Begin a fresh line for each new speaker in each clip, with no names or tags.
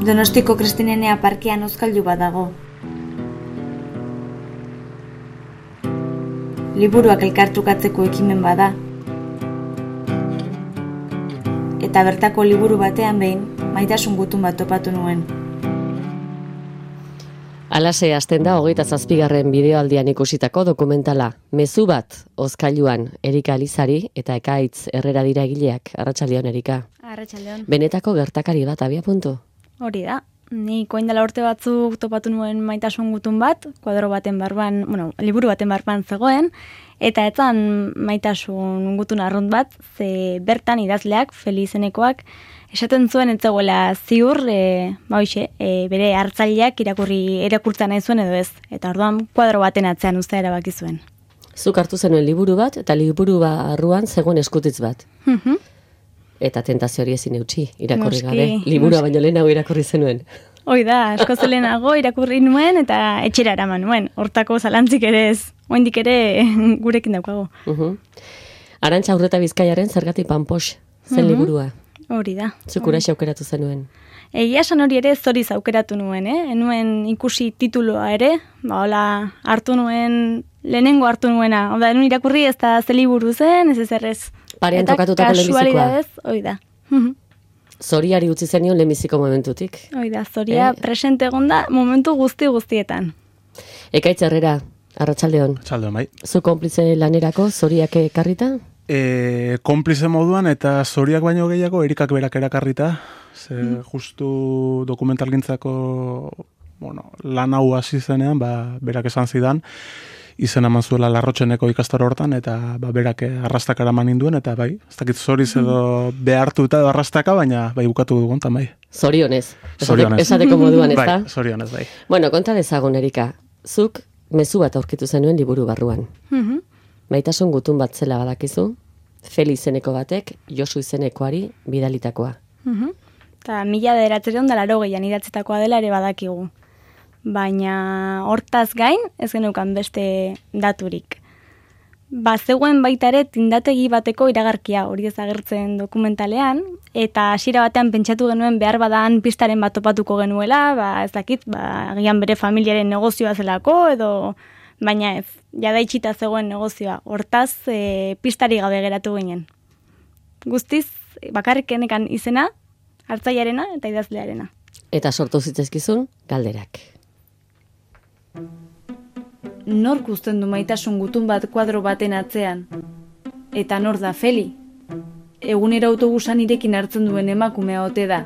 Donostiko Kristinenea parkean hozkailu bat dago. Liburuak elkartrukatzeko ekimen bada. Eta bertako liburu batean behin, Maitasun gutun bat topatu nuen.
Alase hasten da 27. bideoaldian ikusitako dokumentala. Mezu bat, hozkailuan, Erika Elizari eta Ekaitz Herrera dira egileak. Arratsaldeon, Erika.
Arratsaldeon.
Benetako gertakari bat abia puntu.
Hori da. Ni orain dela urte batzuk topatu nuen Maitasun gutun bat, kuadro baten barban, liburu baten barban zegoen, eta etzan Maitasun gutun arrunt bat, ze bertan idazleak, Feli izenekoak, esaten zuen etzegoela ziur, bere hartzaileak irakurtza nahi zuen edo ez. Eta orduan kuadro baten atzean uztea erabaki zuen.
Zuk hartu zenuen liburu bat, eta liburu barruan zegoen eskutitz bat. Eta tentazio hori ezin eutsi, irakurri gabe. Liburua baino lehenago irakurri zenuen.
Hoi da, asko zelenago irakurri nuen eta etxera eraman nuen. Hortako zalantzik ere ez, oraindik ere gurekin daukago.
Arantxa Urreta Bizkaiaren Zergatik Panpox zen liburua.
Hori da.
Zuk uraxe aukeratu zenuen.
Egia esan hori ere zoriz aukeratu nuen, enuen ikusi tituloa ere, hola hartu nuen, lehenengo hartu nuena, enuen irakurri ez da ze liburu zen, ez errez.
Parean tokatutako lehenbizikoa.
Eta kasualidadez, hoi da.
Zoriari utzi zenion lehenbiziko momentutik.
Hoi da, zoria presente egonda momentu guztietan.
Ekaitz Herrera, arratsaldeon.
Arratsaldeon, bai.
Zu konplize lanerako zoriak ekarrita?
Konplize moduan eta zoriak baino gehiago Erikak berak erakarrita. Justu dokumentalgintzako lan hau hasi zenean, berak esan zidan, izen eman zuela Larrotxeneko ikastaro hortan, eta berak arrastaka eraman ninduen, eta bai, ez dakit zoriz edo behartuta edo arrastaka, baina bai bukatu dugun, eta bai.
Zorionez.
Zorionez.
Esateko moduan, ez da?
Bai, zorionez, bai.
Bueno, konta dezagun, Erika, zuk mezu bat aurkitu zenuen liburu barruan. Maitasun gutun bat zela badakizu, Feli izeneko batek, Josu izenekoari bidalitakoa.
Eta 1980 idatzitakoa dela ere badakigu. Baina hortaz gain, ez geneukan beste daturik. Zegoen baita ere tindategi bateko iragarkia hori ezagertzen dokumentalean, eta hasiera batean pentsatu genuen behar badan pistaren bat topatuko genuela, ez dakit, agian bere familiaren negozioa zelako, edo baina ez, jada itxita zegoen negozioa. Hortaz, pistari gabe geratu ginen. Guztiz, bakarrik enekan izena, hartzailearena eta idazlearena.
Eta sortu zitzaizkizun galderak.
Nork uzten du Maitasun gutun bat kuadro baten atzean? Eta nor da Feli? Egunero autobusan irekin hartzen duen emakumea ote da.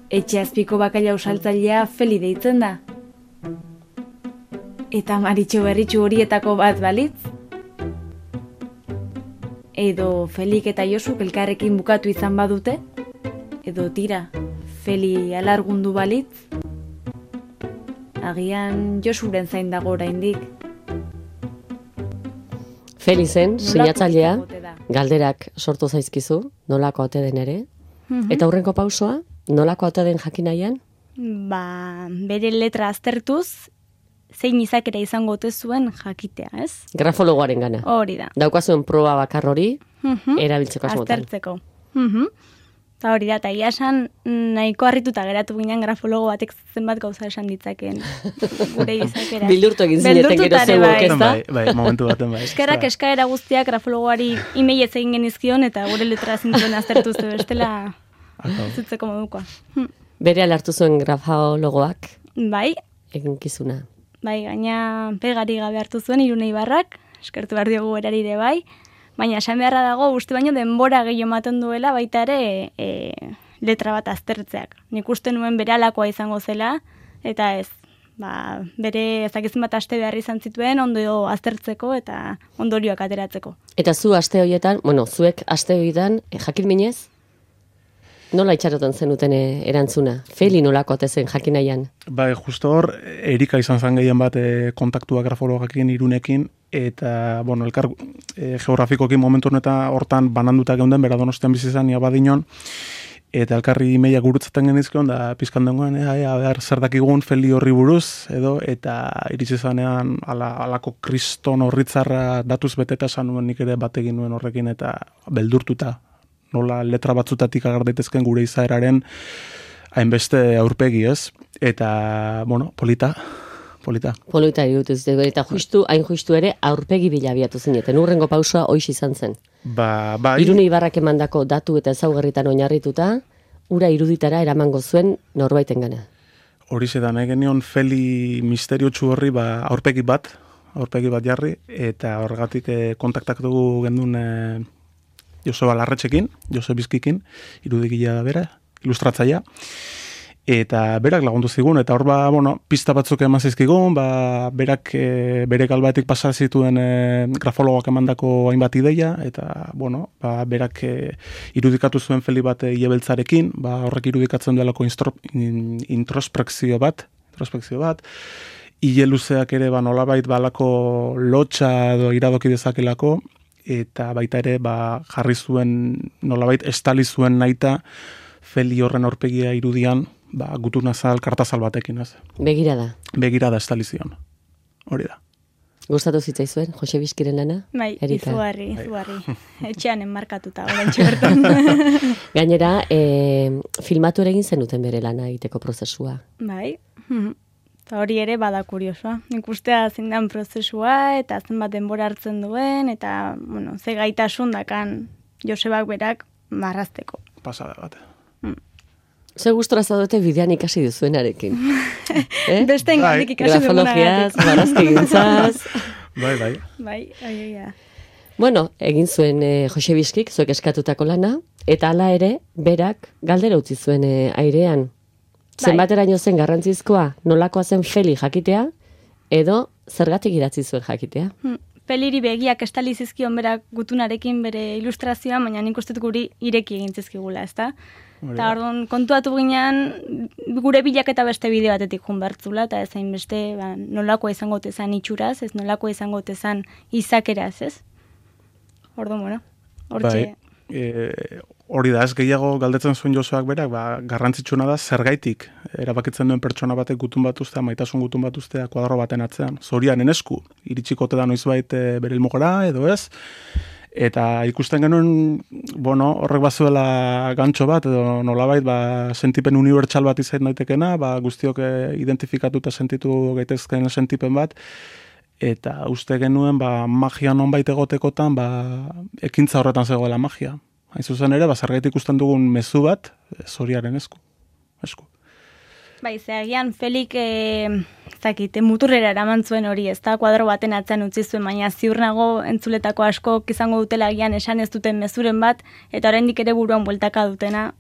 Etxe azpiko bakaila usaltzailea Feli deitzen da. Eta Maritxo Berritxu horietako bat balitz? Edo Felik eta Josuk elkarrekin bukatu izan badute? Edo tira, Feli alargundu balitz? Agian Josuren zain dago oraindik.
Feli zen, sinatzailea, galderak sortu zaizkizu, nolako ote den ere. Eta hurrengo pausoa, nolako ote den jakin nahian?
Bere letra aztertuz, zein izakera izango ote zuen jakitea, ez?
Grafologoaren gana.
Hori da.
Daukazuen proba bakar hori, erabiltzeko asmotan.
Aztertzeko. Eta hori da, eta iasan nahiko harrituta geratu ginen grafologo batek zenbat gauza esan ditzakeen gure izakera.
Bildurtu egin zineten gero zeuok, ez da?
Bai, momentu baten bai.
Eskerrak eskaera guztiak grafologoari e-mailez egin genizkion eta gure letra zintzen aztertu zu bestela zutzeko modukoa.
Bere alartu zuen grafologoak?
Bai.
Eginkizuna.
Bai, gaina pegari gabe hartu zuen Irune Ibarrak, eskertu behar diogu erari ere bai. Baina esan beharra dago, uste baino denbora gehiago ematen duela baita ere letra bat aztertzeak. Nik uste nuen bere alakoa izango zela, eta ez, bere ezakizen bat aste behar izan zituen ondo aztertzeko eta ondorioak ateratzeko.
Eta zu aste horietan, zuek aste horietan jakin minez? Nola itxarotan zenuten erantzuna? Feli nolako zen jakin nahian?
Bai, justo hor, Erika izan zen gehien bat kontaktua grafologakin Irunekin, eta, elkar geografikokin momentu hortan bananduta geunden, bera Donostian bizi izan, Badinon, eta elkarri imeia gurutzaten genizkion, da pizkan dengoen, zer dakigun Feli horri buruz, eta iritsi zanean alako kriston horritzarra datuz beteta esan nuen nik ere bategin nuen horrekin, eta beldurtuta, nola letra batzutatik agar daitezken gure izaeraren hainbeste aurpegi, ez? Eta, bueno, polita.
Polita irudituz, eta hain justu ere, aurpegi bilabiatu zineten. Urrengo pausua hoiz izan zen.
Bai.
Irune Ibarrak emandako datu eta ezaugarritan oinarrituta, ura iruditara eramango zuen norbaiten gana.
Horixe da, nahi genion Feli misteriotsu horri aurpegi bat jarri, eta horregatik kontaktatu gendun Joseba Larretxekin, Jose Bizkikin, irudikila da bera, ilustratzaia, eta berak lagundu zigun, eta hor pista batzuk eman zizkigun, berak bere galbaetik pasa zituen grafologoak emandako hainbat ideia, eta berak irudikatu zuen Feli bat iebeltzarekin, horrek irudikatzen duelako introspekzio bat, hile luzeak ere nolabait balako lotxa edo iradoki dezakelako, eta baita ere jarri zuen nolabait estali zuen nahita Feli horren aurpegia irudian gutunazal, kartazal batekin, ez? Begirada estali zion. Hori da.
Gustatu zitzaizuen, Jose Bizkiren lana?
Bai, izugarri. Etxean enmarkatuta, orantxe bertan.
Gainera, filmatu ere egin zenuten bere lana egiteko prozesua.
Bai, eta hori ere bada kuriosoa. Ikustea zindan prozesua, eta zenbat denbora hartzen duen, eta, ze gaitasun dakan Josebak berak marrazteko.
Pasada bat.
Ze
gustora zaudete bidean ikasi duzuenarekin.
Beste engandik ikasi
dugunarekin. Grafologiaz, barazki gintzaz.
Bai.
Bueno, egin zuen Jose Bizkik, zuek eskatutako lana, eta hala ere, berak galdera utzi zuen airean. Zenbateraino zen garrantzizkoa, nolakoa zen Feli jakitea, edo zergatik idatzi zuen jakitea?
Feliri begiak estali zizkion berak gutunarekin bere ilustrazioa, baina nik uste guri ireki egin zizkigula, ezta? Eta orduan kontuatu ginean gure bilaketa beste bide batetik jun bertzula, eta ezain beste nolakoa izango tezan itxuraz, ez nolakoa izango tezan izakeraz, ez? Orduan, hortxe.
Hori da, ez gehiago galdetzen zuen Joseak berak, garrantzitsuna da zergaitik erabakitzen duen pertsona batek gutun bat ustea, maitasun gutun bat ustea kuadro baten atzean. Zorianen esku, iritsikote da noizbait bere ilmugora, edo ez, eta ikusten genuen, horrek bazuela gantxo bat, edo nolabait, sentipen unibertsal bat izan daitekena, guztiok identifikatuta sentitu gaitezken sentipen bat, eta uste genuen, magia nonbait egotekotan, ekintza horretan zegoela magia. Hain zuzen ere, zergaitik ikusten dugun mezu bat, Zoriaren esku.
Bai, zeagian Felik, muturrera eraman zuen hori, ez da, kuadro baten atzean utzi zuen, baina ziur nago entzuletako asko izango dutela agian esan ez duten mezuren bat, eta oraindik ere buruan bueltaka dutena,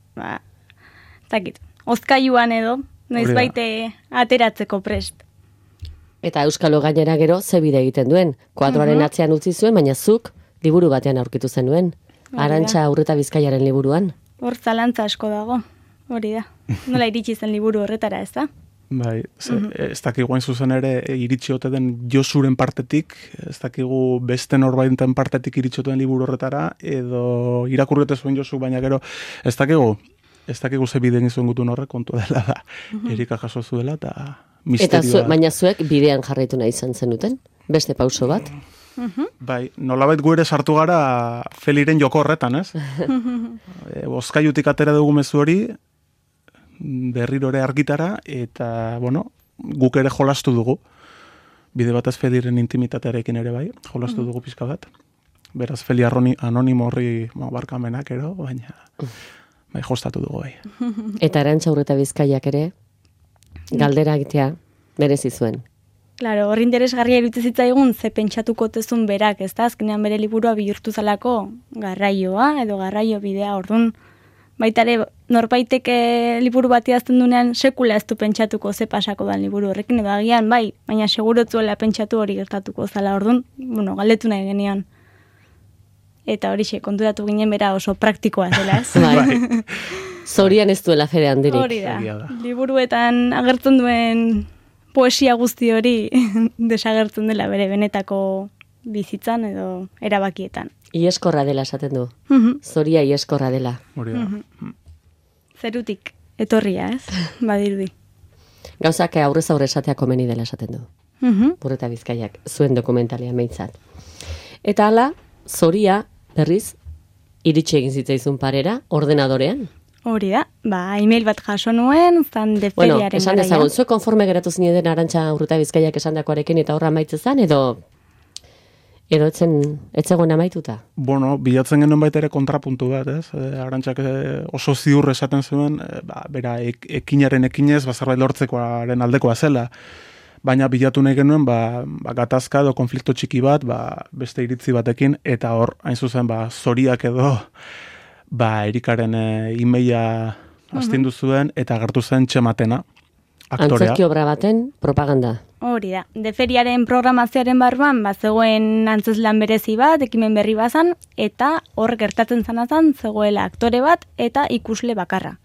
ozkailuan edo, noizbaite ateratzeko prest.
Eta Euskalo gainera gero ze bide egiten duen, kuadroaren atzean utzi zuen, baina zuk liburu batean aurkitu zenuen. Arantxa Urreta Bizkaiaren liburuan.
Hor zalantza asko dago, hori da. Nola iritsi zen liburu horretara, ez da?
Bai, ez dakigu hain zuzen ere iritsi ote den Josuren partetik, ez dakigu beste norbaiten partetik iritsi ote den liburu horretara, edo irakurrete zuen Josu, baina gero ez dakigu ze bideen izuen gutun horrek kontu dela da. Erika jaso zuela eta misterioa.
Baina zuek bidean jarraitu nahi izan zenuten? Beste pauso bat?
Bai, nolabait gu ere sartu gara Feliren joko horretan, ez? Bozkailutik atera dugu mezu hori, berriro ere argitara, eta, guk ere jolastu dugu. Bide batez Feliren intimitatearekin ere bai, jolastu dugu pizka bat. Beraz, Feli anonimo horri barkamenak ero, baina jostatu dugu bai.
Eta Arantxa Urreta Bizkaiak ere, galdera egitea merezi zuen.
Claro, hor interesgarria iruditzen zitzaigun ze pentsatuko tezun berak, ez da? Azkenean bere liburua bihurtu zalako garraioa edo garraio bidea. Orduan, baita ere norbaiteke liburu bat idazten duenean sekula ez du pentsatuko ze pasako dan liburu horrekin, edo agian bai, baina segurotzuela pentsatu hori gertatuko zala. Orduan, galdetu nahi genion. Eta horixe, konturatu ginen bera oso praktikoa zela, ez?
Bai. Zorian ez duela fede handirik.
Hori da. Liburuetan agertzen duen poesia guzti hori desagertzen dela bere benetako bizitzan edo erabakietan.
Ieskorra dela esaten du. Zoria ieskorra dela.
Hori da.
Zerutik etorria, ez? Badirudi.
Gauzak aurrez aurre esatea komeni dela esaten du. Urreta Bizkaiak, zuen dokumentalia meintzat. Eta hala, Zoria berriz iritsi egin zitzaizun parera ordenadorean.
Hori da, email bat jaso nuen, zan deferiaren
Bueno, esan dezagun, zu konforme geratu zineden Arantxa Urruta Bizkaiak esandakoarekin eta horra amaitze zen, edo etzegoen amaituta?
Bueno, bilatzen genuen baita ere kontrapuntu bat, ez? Arantxak oso ziur esaten zuen, bera, ekinaren ekinez, zerbait lortzekoaren aldekoa zela. Baina bilatu nahi genuen, gatazka edo konflikto txiki bat, beste iritzi batekin, eta hor, hain zuzen, zoriak edo, Erikaren emaila astindu zuen, eta agertu zen Txematena, aktorea.
Antzerki obra baten propaganda.
Hori da, deferiaren programazioaren barruan, zegoen antzeslan berezi bat, ekimen berri bazan, eta hor gertatzen zanazan, zegoela aktore bat, eta ikusle bakarra.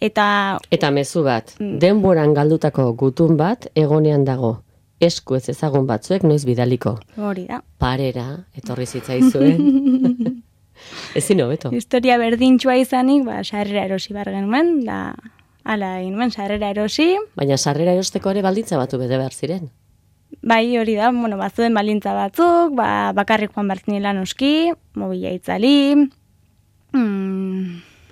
Eta
mezu bat, denboran galdutako gutun bat egonean dago. Esku ez ezagun batzuek noiz bidaliko.
Hori da.
Parera, etorri zitzaizuen. Ezin hobeto.
Historia berdintxua izanik, sarrera erosi bar genuen, da hala egin nuen, sarrera erosi.
Baina sarrera erosteko ere baldintza batu bete behar ziren.
Bai, hori da, bazuen baldintza batzuk, bakarrik joan bertzinela noski, mobila itzali,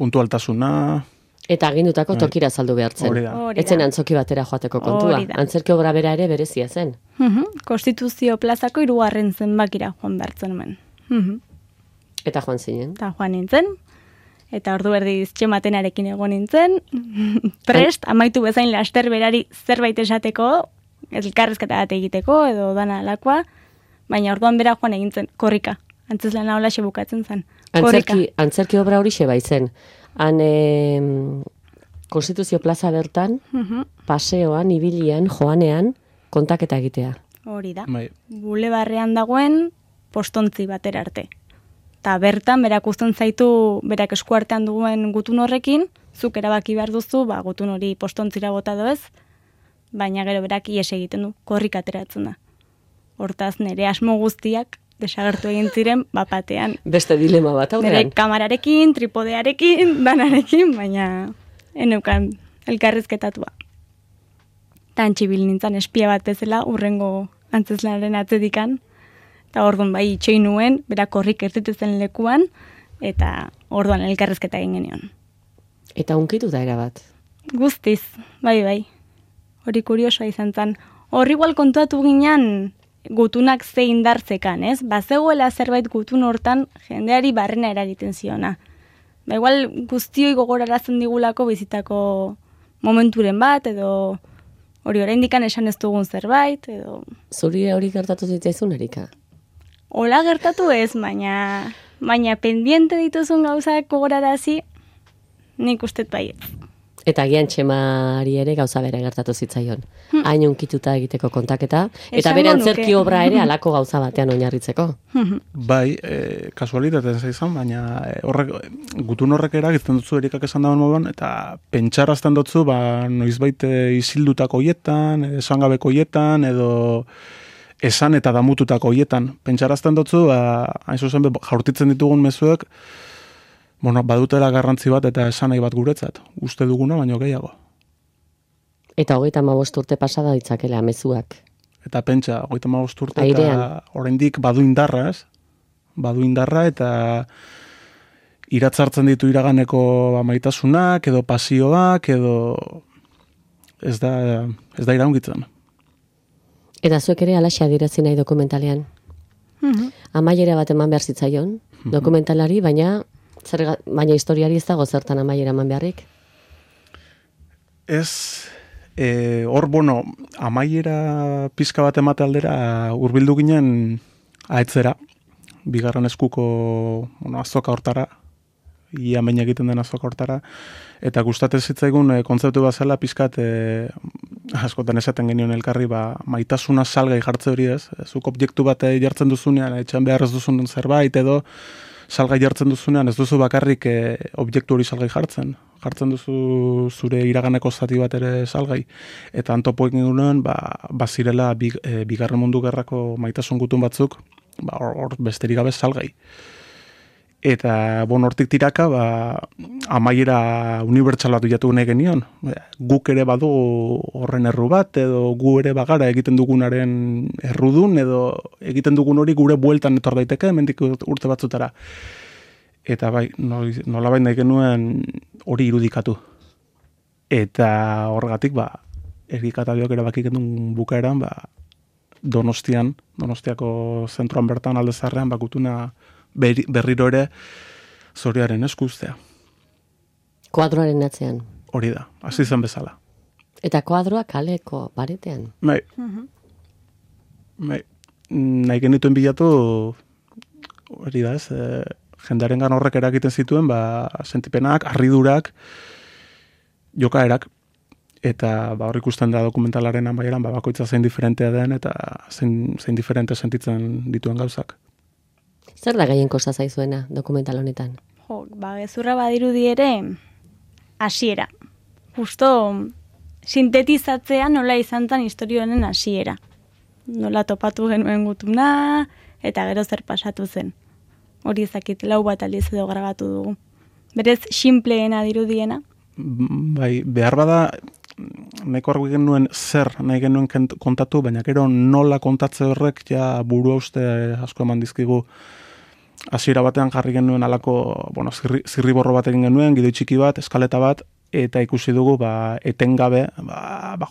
puntualtasuna.
Eta agindutako tokira saldu behartzen. Etzen antzoki batera joateko kontua. Antzerki obra bera ere berezia zen.
Konstituzio plazako 3. zenbakira joan behartzen nuen.
Eta joan zinen?
Eta joan nintzen. Eta ordu erdiz Txematenarekin egon nintzen. Prest, amaitu bezain laster berari zerbait esateko, elkarrezketa bat egiteko, edo dana alakoa. Baina orduan bera joan egintzen, korrika. Antzeslana hola bukatzen zen.
Antzerki obra hori xe baitzen. Han Konstituzio plaza bertan, paseoan, ibilian, joanean, kontaketa egitea.
Hori da. Bulebarrean dagoen postontzi batera arte. Eta bertan, berak uzten zaitu, berak eskuartean duen gutun horrekin, zuk erabaki behar duzu, gutun hori postontzira bota doez, baina gero berak ies egiten du, korrik ateratzen da. Hortaz, nire asmo guztiak desagertu egin ziren, bapatean.
Beste dilema bat aurrean.
Nire kamararekin, tripodearekin, danarekin, baina eneukan elkarrizketatua. Tantxibil nintzen espia bat bezala, urrengo antzeslanaren atzedikan, eta orduan itxoin nuen, berak korrik ertetezen lekuan, eta orduan elkarrizketa egin genion.
Eta unkitu da erabat?
Guztiz, bai. Hori kuriosoa izan zen. Horri igual kontuatu ginen gutunak ze indartzekan, ez? Bazegoela zerbait gutun hortan jendeari barrena eragiten ziona. Igual guztioi gogorarazten digulako bizitako momenturen bat, edo hori oraindikan esan ez dugun zerbait, edo...
Zuri hori gertatu zitzaizun, Erika?
Hola gertatu ez, baina pendiente dituzun gauzak gogorarazi, nik ustet baiet.
Eta agian Txemari ere gauza bere gertatu zitzaion. Hain unkituta egiteko kontaketa, eta bere antzerki obra ere halako gauza batean oinarritzeko.
Bai, kasualitaten zaizan, baina gutun horrek eragiten dutzu Erikak esan dagoen moduan, eta pentsarazten dutzu, noizbait isildutako hoietan, esangabeko hoietan, edo esan eta damututako hoietan. Pentsarazten dutzu, hain zuzen jaurtitzen ditugun mezuek, badutela garrantzi bat eta esan nahi bat guretzat. Uste duguna, baino gehiago.
Eta 35 urte pasada ditzakela mezuak.
Eta pentsa, 35 urte eta oraindik badu indarra, ez? Badu indarra eta iratzartzen ditu iraganeko maitasunak, edo pasioak, edo ez da iraungitzen.
Eta zuek ere alaxe adierazi nahi dokumentalean. Amaiera bat eman behar zitzaion, dokumentalari, baina historiari ez dago zertan amaiera eman beharrik?
Ez, hor, amaiera pizka bat emate aldera hurbildu ginen aetzera, bigarren eskuko azoka hortara, ia baina egiten den azoka hortara, eta gustatzen zitzaigun kontzeptu bat zela pizkat askotan esaten genion elkarri, maitasuna salgai jartze hori ez, zuk objektu bat jartzen duzunean, etxan behar ez duzun zerbait edo, salgai jartzen duzunean, ez duzu bakarrik objektu hori salgai jartzen. Jartzen duzu zure iraganeko zati bat ere salgai. Eta antopoek ningunean, bazirela bigarren mundu gerrako maitasun gutun batzuk, hor besterik gabe salgai. Eta, hortik tiraka, amaiera unibertsala duiatu nahi genion. Guk ere badu horren erru bat, edo gu ere bagara egiten dugunaren errudun, edo egiten dugun hori gure bueltan etor daiteke, hemendik urte batzutara. eta bai, nolabait nahi genuen hori irudikatu. Eta horregatik, Erika eta biok erabaki genuen bukaeran, Donostiako zentroan bertan alde zaharrean, gutuna berriro ere Zoriaren eskuztea.
Kuadroaren atzean.
Hori da, hasi zen bezala.
Eta kuadroa kaleko paretean.
Bai. Nahi genituen bilatu, hori da ez, jendearengan horrek eragiten zituen, sentipenak, harridurak, jokaerak, eta hor ikusten da dokumentalaren amaieran, bakoitza zein diferentea den, eta zein diferente sentitzen dituen gauzak.
Zer da gehien kosta zaizuena dokumental honetan?
Gezurra badirudi ere, hasiera. Justo sintetizatzea nola izan zen historio honen hasiera. Nola topatu genuen gutuna, eta gero zer pasatu zen. Hori ezakit 4 bat aldiz edo grabatu dugu. Berez, sinpleena dirudiena.
Bai, behar bada, nahiko argi genuen zer nahi genuen kontatu, baina gero nola kontatze horrek ja burua uste asko eman dizkigu. Hasiera batean jarri genuen alako, zirriborro bat egin genuen, gidoi txiki bat, eskaleta bat, eta ikusi dugu, etengabe,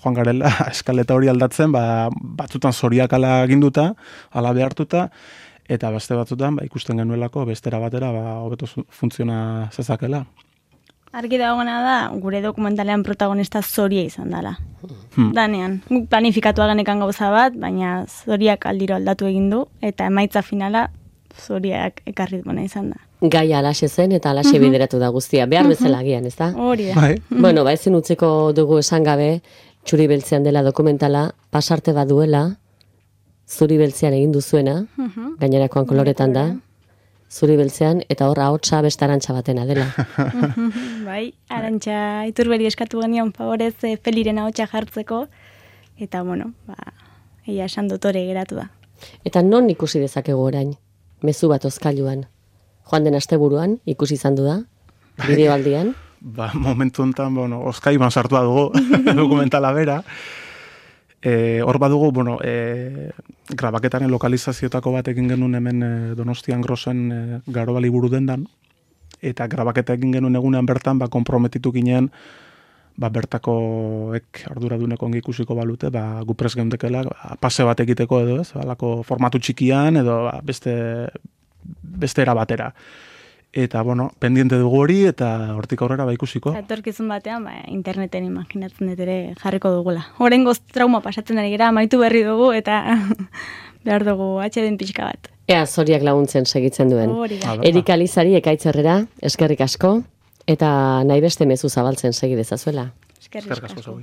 joan garela, eskaleta hori aldatzen, batzutan zoriak ala ginduta, ala behartuta, eta beste batzutan, ikusten genuelako, bestera batera, hobeto funtziona zezakela.
Argi dagoena da, gure dokumentalean protagonista Zoria izan dela. Danean, guk planifikatua genekan gauza bat, baina Zoriak aldiro aldatu egin du, eta emaitza finala Zoriak ekarri duena izan da.
Gaia alaxe zen eta alaxe bideratu da guztia. Behar bezala agian, ez da?
Hori da.
Bueno, ezin utziko dugu esan gabe, Txuri Beltzean dela dokumentala, pasarte baduela, Zuri Beltzean egin duzuena, gainerakoan koloretan da, Zuri Beltzean, eta hor ahotsa beste arantxa batena dela.
Bai, arantxa Iturberi eskatu genion favorez Feliren ahotsa jartzeko, eta egia esan dotore geratu da.
Eta non ikusi dezakegu orain? Mezu bat ozkailuan. Joan den asteburuan ikusi izan du da? Bideoaldian?
Momentu honetan, ozkailuan sartua dugu dokumentala bera. Hor badugu, grabaketaren lokalizazioetako bat egin genuen hemen Donostian Grosen Garobali buru dendan, eta grabaketa egin genuen egunean bertan, konprometitu ginen, bertakoek arduraduneko ongi ikusiko balute, gu prest geundekela, pase bat egiteko edo ez, alako formatu txikian edo beste era batera. Eta, pendiente dugu hori, eta hortik aurrera ikusiko.
Etorkizun batean, interneten imaginatzen dut ere jarriko dugula. Horengoz trauma pasatzen ari gara, amaitu berri dugu, eta behar dugu atxeden pixka bat.
Ea, Zoriak laguntzen segitzen duen. Erika Lizari, Ekaitz Herrera, eskerrik asko, eta nahi beste mezu zabaltzen segi dezazuela.
Eskerrik asko.